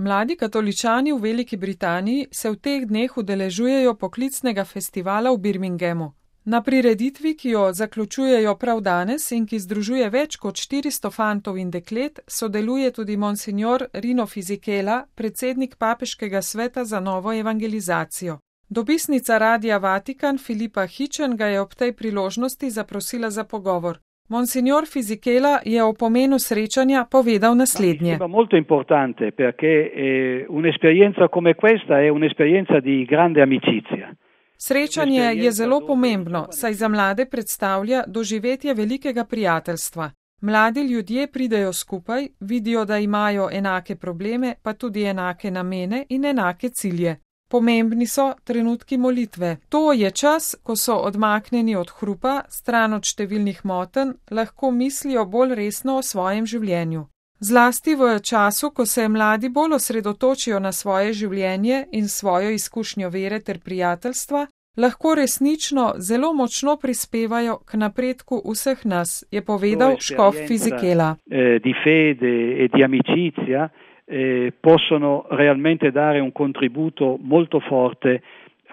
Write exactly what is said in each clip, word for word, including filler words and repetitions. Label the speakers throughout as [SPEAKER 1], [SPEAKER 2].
[SPEAKER 1] Mladi katoličani v Veliki Britaniji se v teh dneh udeležujejo poklicnega festivala v Birminghamu. Na prireditvi, ki jo zaključujejo prav danes in ki združuje več kot štiristo fantov in deklet, sodeluje tudi monsignor Rino Fisichella, predsednik Papeškega sveta za novo evangelizacijo. Dopisnica Radia Vatikan Filipa Hitchen ga je ob tej priložnosti zaprosila za pogovor. Monsignor Fisichella je o pomenu srečanja povedal naslednje.
[SPEAKER 2] È molto importante perché eh, un'esperienza come questa è un'esperienza di grande amicizia.
[SPEAKER 1] Srečanje je zelo pomembno, saj za mlade predstavlja doživetje velikega prijateljstva. Mladi ljudje pridejo skupaj, vidijo, da imajo enake probleme, pa tudi enake namene in enake cilje. Pomembni so trenutki molitve. To je čas, ko so odmaknjeni od hrupa, stran od številnih motenj, lahko mislijo bolj resno o svojem življenju. Zlasti v času, ko se mladi bolj osredotočijo na svoje življenje in svojo izkušnjo vere ter prijateljstva, lahko resnično zelo močno prispevajo k napredku vseh nas, je povedal škof Fisichella.
[SPEAKER 2] Di fede e di amicizia eh, possono realmente dare un contributo molto forte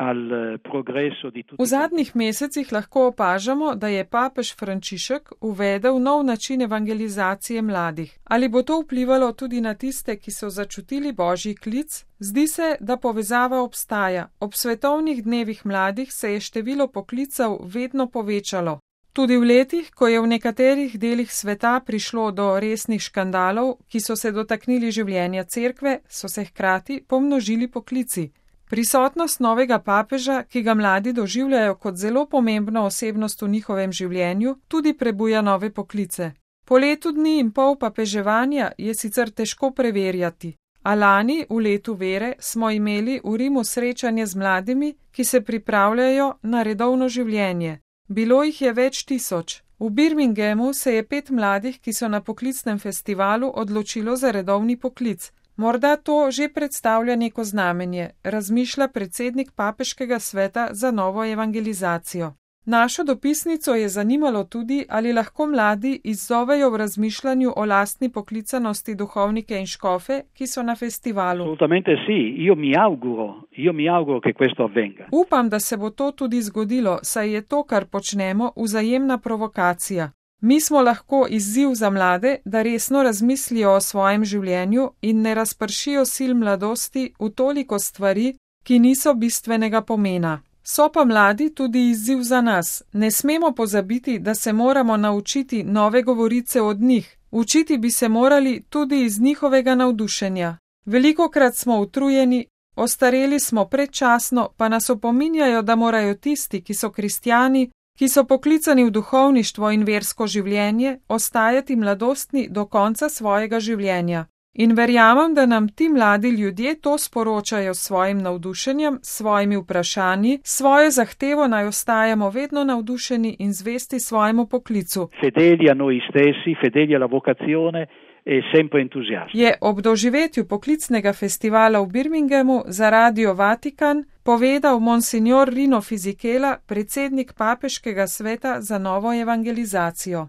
[SPEAKER 2] al progresso di tutti.
[SPEAKER 1] V zadnjih mesecih lahko opažamo, da je papež Frančišek uvedel nov način evangelizacije mladih. Ali bo to vplivalo tudi na tiste, ki so začutili božji klic? Zdi se, da povezava obstaja. Ob svetovnih dnevih mladih se je število poklicev vedno povečalo. Tudi v letih, ko je v nekaterih delih sveta prišlo do resnih škandalov, ki so se dotaknili življenja cerkve, so se hkrati pomnožili poklici. Prisotnost novega papeža, ki ga mladi doživljajo kot zelo pomembno osebnost v njihovem življenju, tudi prebuja nove poklice. Po letu dni in pol papeževanja je sicer težko preverjati, a lani v letu vere smo imeli v Rimu srečanje z mladimi, ki se pripravljajo na redovno življenje. Bilo jih je več tisoč. V Birminghamu se je pet mladih, ki so na poklicnem festivalu, odločilo za redovni poklic. Morda to že predstavlja neko znamenje, razmišlja predsednik Papeškega sveta za novo evangelizacijo. Našo dopisnico je zanimalo tudi, ali lahko mladi izzovejo v razmišljanju o lastni poklicanosti duhovnike in škofe, ki so na festivalu.
[SPEAKER 2] Assolutamente sì, io mi auguro, io mi auguro che questo avvenga.
[SPEAKER 1] Upam, da se bo to tudi zgodilo, saj je to, kar počnemo, vzajemna provokacija. Mi smo lahko izziv za mlade, da resno razmislijo o svojem življenju in ne razpršijo sil mladosti v toliko stvari, ki niso bistvenega pomena. So pa mladi tudi izziv za nas. Ne smemo pozabiti, da se moramo naučiti nove govorice od njih. Učiti bi se morali tudi iz njihovega navdušenja. Velikokrat smo utrujeni, ostareli smo predčasno, pa nas opominjajo, da morajo tisti, ki so kristjani, ki so poklicani v duhovništvo in versko življenje, ostajati mladostni do konca svojega življenja. In verjamem, da nam ti mladi ljudje to sporočajo s svojim navdušenjem, s svojimi vprašanji, svojo zahtevo naj ostajamo vedno navdušeni in zvesti svojemu poklicu.
[SPEAKER 2] Fedeli a noi stessi, fedeli alla vocazione e sempre entusiasti.
[SPEAKER 1] Je ob doživetju poklicnega festivala v Birminghamu za Radio Vatikan povedal monsignor Rino Fisichella, predsednik Papeškega sveta za novo evangelizacijo.